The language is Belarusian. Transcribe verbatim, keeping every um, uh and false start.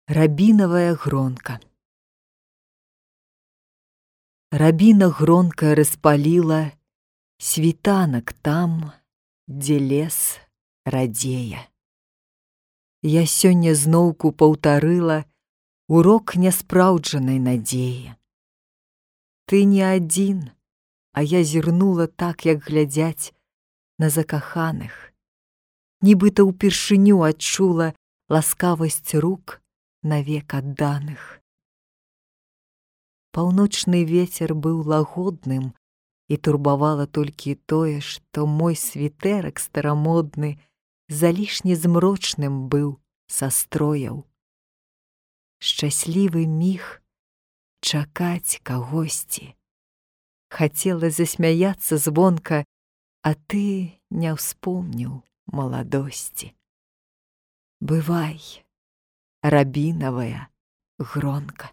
Рябінавая гронка. Рябіна гронкая распаліла світанак там, дзе лес радзее. Я сёння зноўку паўтарыла урок няспраўджанай надзеі. Ты не адзін, а я зірнула так, як глядзяць на закаханых. Нібыта ўпершыню адчула ласкавасць рук навек адданых. Паўночны вецер быў лагодным, і турбавала толькі тое, што мой світэрак старамодны залішне змрочным быў са строяў. Шчаслівы міг чакаць кагосьці. Хацела засмяяцца звонка, а ты не ўспомніў маладосці. Бывай, рябінавая гронка.